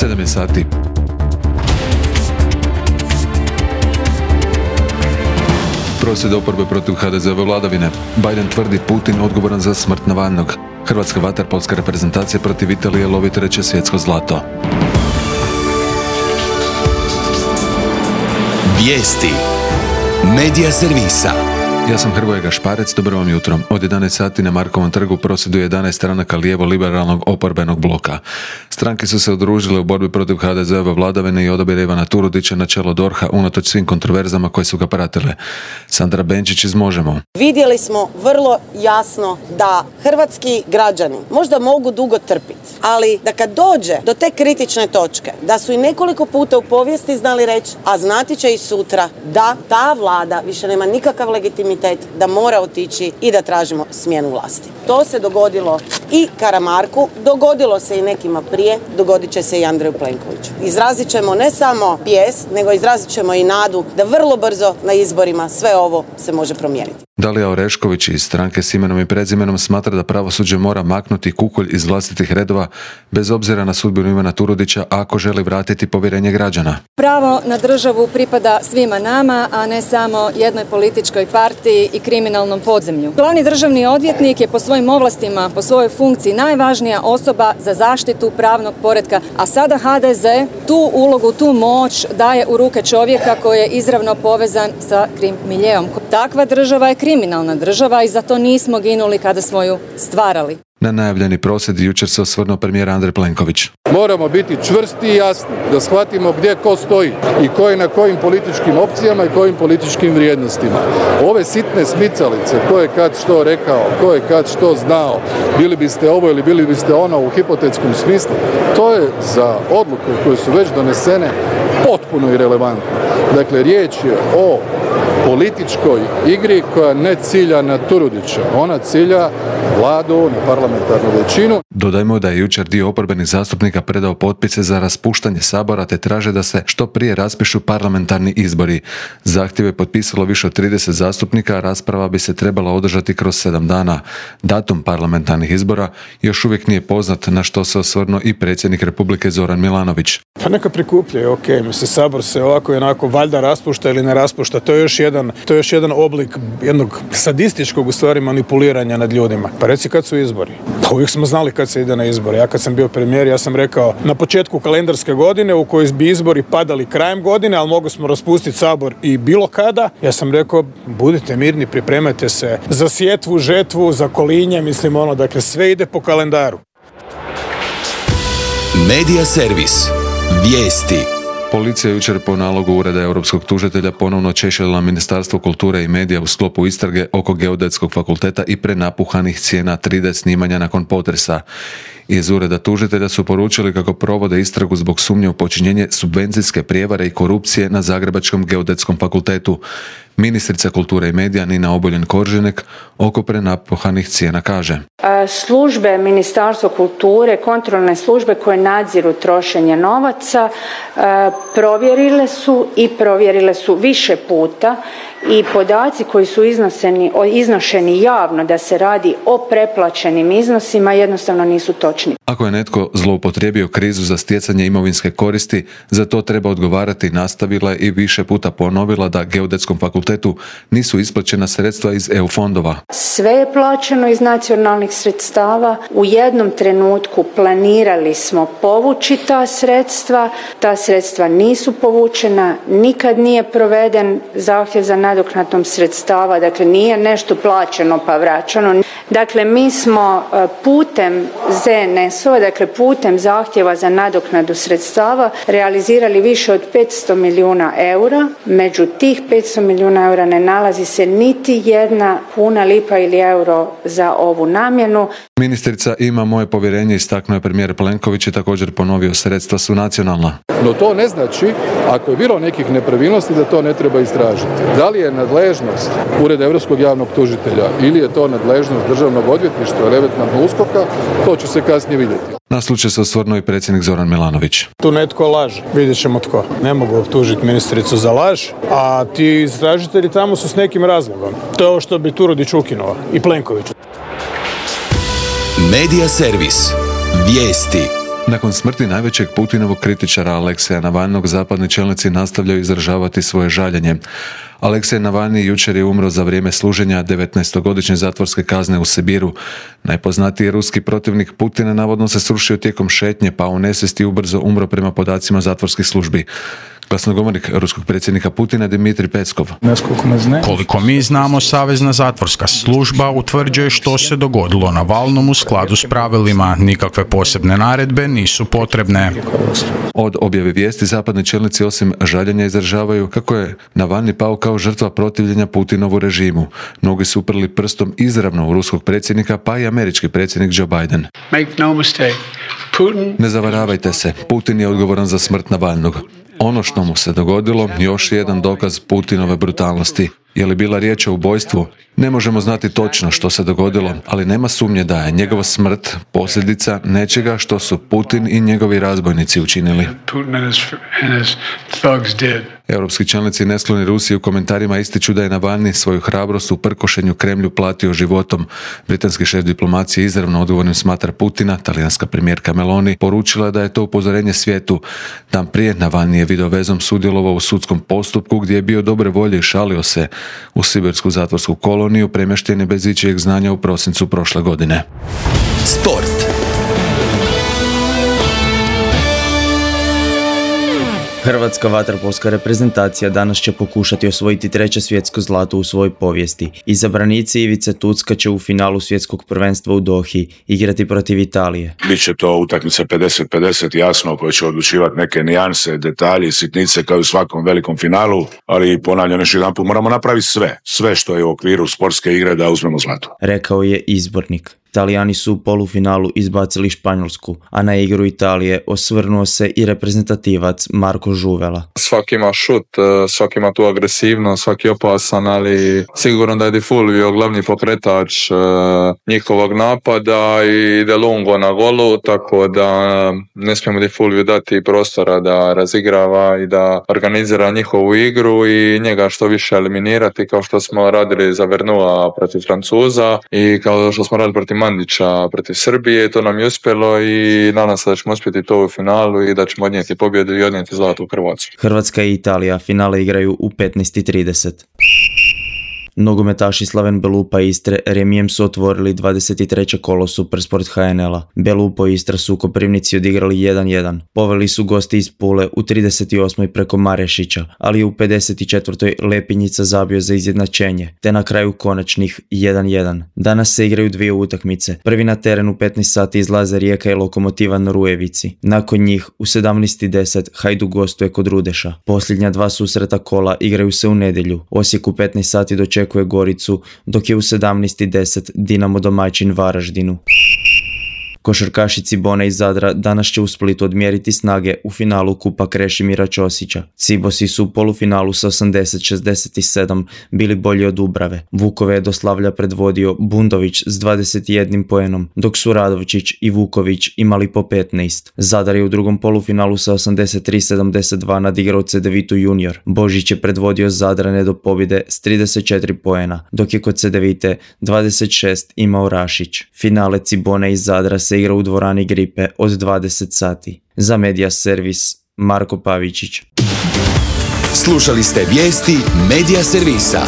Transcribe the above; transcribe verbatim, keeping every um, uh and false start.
sedam je sati. Prosvjed oporbe protiv ha de ze-ove vladavine. Biden tvrdi Putin odgovoran za smrt Navalnog. Hrvatska vaterpolska reprezentacija protiv Italije lovi treće svjetsko zlato. Vijesti Medija servisa. Ja sam Hrvoje Gašparec, dobro vam jutro. Od jedanaest sati na Markovom trgu prosvjeduje jedanaest stranaka lijevo-liberalnog oporbenog bloka. Stranke su se udružile u borbi protiv ha de ze-ove vladavine i odabira Ivana Turudića na čelo dorha unatoč svim kontroverzama koje su ga pratile. Sandra Benčić iz Možemo. Vidjeli smo vrlo jasno da hrvatski građani možda mogu dugo trpiti, ali da kad dođe do te kritične točke, da su i nekoliko puta u povijesti znali reći, a znati će i sutra, da ta vlada više nema nikakav legitimitet, da mora otići i da tražimo smjenu vlasti. To se dogodilo i Karamarku, dogodilo se i nekima prije, dogodit će se i Andreju Plenkoviću. Izrazit ćemo ne samo bijes, nego izrazit ćemo i nadu da vrlo brzo na izborima sve ovo se može promijeniti. Dalija Orešković iz stranke s imenom i prezimenom smatra da pravosuđe mora maknuti kukolj iz vlastitih redova bez obzira na sudbinu Ivana Turudića ako želi vratiti povjerenje građana. Pravo na državu pripada svima nama, a ne samo jednoj političkoj partiji i kriminalnom podzemlju. Glavni državni odvjetnik je po svojim ovlastima, po svojoj funkciji najvažnija osoba za zaštitu pravnog poretka, a sada ha de ze tu ulogu, tu moć daje u ruke čovjeka koji je izravno povezan sa krim miljeom. Takva država je kriminalna država i zato nismo ginuli kada smo ju stvarali. Na najavljeni prosvjed jučer se osvrnuo premijer Andrej Plenković. Moramo biti čvrsti i jasni, da shvatimo gdje ko stoji i ko je na kojim političkim opcijama i kojim političkim vrijednostima. Ove sitne smicalice, ko je kad što rekao, ko je kad što znao, bili biste ovo ili bili biste ono u hipotetskom smislu, to je za odluke koje su već donesene potpuno irelevantno. Dakle, riječ je o političkoj igri koja ne cilja na Turudića, ona cilja vladu, na parlamentarnu većinu. Dodajmo da je jučer dio oporbenih zastupnika predao potpise za raspuštanje Sabora te traže da se što prije raspišu parlamentarni izbori. Zahtjev je potpisalo više od trideset zastupnika, a rasprava bi se trebala održati kroz sedam dana. Datum parlamentarnih izbora još uvijek nije poznat, na što se osvrnuo i predsjednik Republike Zoran Milanović. Pa neka prikupljaju, ok, mislim, Sabor se ovako i onako valjda raspušta ili ne raspušta, to je još jedan, to je još jedan oblik jednog sadističkog u stvari manipuliranja nad ljudima. Pa reci kad su izbori? Pa uvijek smo znali kad se ide na izbore. Ja kad sam bio premijer, ja sam rekao na početku kalendarske godine u kojoj bi izbori padali krajem godine, ali mogli smo raspustiti Sabor i bilo kada. Ja sam rekao, budite mirni, pripremajte se za sjetvu, žetvu, za kolinje, mislim ono, dakle sve ide po kalendaru. Medija servis. Vijesti. Policija jučer po nalogu Ureda europskog tužitelja ponovno češljala Ministarstvo kulture i medija u sklopu istrage oko Geodetskog fakulteta i prenapuhanih cijena tri de snimanja nakon potresa. Iz Ureda tužitelja su poručili kako provode istragu zbog sumnje u počinjenje subvencijske prijevare i korupcije na Zagrebačkom geodetskom fakultetu. Ministrica kulture i medija Nina Obuljen-Koržinek oko prenapuhanih cijena kaže: Službe Ministarstva kulture, kontrolne službe koje nadziru trošenje novaca, provjerile su i provjerile su više puta i podaci koji su iznoseni, iznošeni javno da se radi o preplaćenim iznosima jednostavno nisu točni. Ako je netko zloupotrijebio krizu za stjecanje imovinske koristi, za to treba odgovarati, nastavila je i više puta ponovila da Geodetskom fakultetu nisu isplaćena sredstva iz E U fondova. Sve je plaćeno iz nacionalnih sredstava. U jednom trenutku planirali smo povući ta sredstva, ta sredstva nisu povučena, nikad nije proveden zahtjev za nadoknadom sredstava, dakle nije nešto plaćeno pa vraćano. Dakle, mi smo putem ze en es o, dakle putem zahtjeva za nadoknadu sredstava realizirali više od petsto milijuna eura. Među tih petsto milijuna eura ne nalazi se niti jedna kuna, lipa ili euro za ovu namjenu. Ministrica ima moje povjerenje, istaknuo je premijer Plenković i također ponovio, sredstva su nacionalna. No to ne znači, ako je bilo nekih nepravilnosti, da to ne treba istražiti. Da li je nadležnost Ureda Europskog javnog tužitelja ili je to nadležnost Državnog odvjetništva ili eventualno uskoka, to će se kasnije vidjeti. Na slučaj se osvrnuo i predsjednik Zoran Milanović. Tu netko laže, vidjet ćemo tko. Ne mogu tužiti ministricu za laž, a ti istražitelji tamo su s nekim razlogom. To je ovo što bi Turudić ukinuo i Plenković. Medija servis. Vijesti. Nakon smrti najvećeg Putinovog kritičara Alekseja Navalnog, zapadni čelnici nastavljaju izražavati svoje žaljenje. Aleksej Navalni jučer je umro za vrijeme služenja devetnaestogodišnje zatvorske kazne u Sibiru. Najpoznatiji ruski protivnik Putina navodno se srušio tijekom šetnje, pa u nesvijesti ubrzo umro prema podacima zatvorskih službi. Glasnogovornik ruskog predsjednika Putina Dmitrij Peskov. Koliko mi znamo, Savezna zatvorska služba utvrđuje što se dogodilo Navalnom u skladu s pravilima. Nikakve posebne naredbe nisu potrebne. Od objave vijesti zapadni čelnici osim žaljenja izražavaju kako je Navalni pao kao žrtva protivljenja Putinovu režimu. Mnogi su uprli prstom izravno u ruskog predsjednika, pa i američki predsjednik Joe Biden. Make no mistake. Putin... Ne zavaravajte se, Putin je odgovoran za smrt Navalnog. Ono što mu se dogodilo, još je jedan dokaz Putinove brutalnosti. Je li bila riječ o ubojstvu? Ne možemo znati točno što se dogodilo, ali nema sumnje da je njegova smrt posljedica nečega što su Putin i njegovi razbojnici učinili. Europski čelnici neskloni Rusiji u komentarima ističu da je Navalni svoju hrabrost u prkošenju Kremlju platio životom. Britanski šef diplomacije izravno odgovornim smatra Putina. Talijanska premijerka Meloni poručila da je to upozorenje svijetu. Dan prije Navalni je videovezom sudjelovao u sudskom postupku gdje je bio dobre volje i šalio se. U sibirsku zatvorsku koloniju premješten je bez ičijeg znanja u prosincu prošle godine. Sport. Hrvatska vaterpolska reprezentacija danas će pokušati osvojiti treće svjetsko zlato u svojoj povijesti. Izabranici Ivice Tucka će u finalu svjetskog prvenstva u Dohi igrati protiv Italije. Biće to utakmica pedeset pedeset, jasno, koja će odlučivati neke nijanse, detalji, sitnice kao i u svakom velikom finalu, ali ponavljam još jedanput, moramo napraviti sve, sve što je u okviru sportske igre da uzmemo zlato. Rekao je izbornik. Italijani su u polufinalu izbacili Španjolsku, a na igru Italije osvrnuo se i reprezentativac Marko Žuvela. Svaki ima šut, svaki ima tu agresivnost, svaki je opasan, ali sigurno da je Di Fulvio glavni pokretač njihovog napada i De Lungo na golu, tako da ne smijemo Di Fulvio dati prostora da razigrava i da organizira njihovu igru i njega što više eliminirati, kao što smo radili za Vernua protiv Francuza i kao što smo radili protiv Mandića protiv Srbije. To nam je uspjelo i nadam se da ćemo uspjeti to u finalu i da ćemo odnijeti pobjedu i odnijeti zlato u Hrvatsku. Hrvatska i Italija finale igraju u petnaest i trideset. Nogometaši Slaven Belupa Istre remijem su otvorili dvadeset treće kolo Supersport H N L-a. Belupo i Istra su u Koprivnici odigrali jedan jedan. Poveli su gosti iz Pule u trideset osmoj preko Marešića, ali u pedeset četvrtoj Lepinjica zabio za izjednačenje, te na kraju konačnih jedan jedan. Danas se igraju dvije utakmice. Prvi na terenu u petnaest sati izlaze Rijeka i Lokomotiva na Rujevici. Nakon njih u sedamnaest i deset Hajduk gostuje kod Rudeša. Posljednja dva susreta kola igraju se u nedjelju. Osijek u petnaest sati dočekuje Goricu, dok je u sedamnaest i deset Dinamo domaćin Varaždinu. Košarkaši Cibone iz Zadra danas će u Splitu odmjeriti snage u finalu Kupa Krešimira Ćosića. Cibosi su u polufinalu sa osamdeset šezdeset sedam bili bolji od Dubrave. Vukove je do slavlja predvodio Bundović s dvadeset jednim poenom, dok su Radovčić i Vuković imali po petnaest. Zadar je u drugom polufinalu sa osamdeset tri sedamdeset dva nadigrao Cedevitu junior. Božić je predvodio Zadrane do pobjede s trideset četiri poena, dok je kod Cedevite dvadeset šest imao Rašić. Finale Cibone iz Zadra se igra u dvorani Gripe od dvadeset sati. Za Media Servis, Marko Pavičić. Slušali ste vijesti Media Servisa.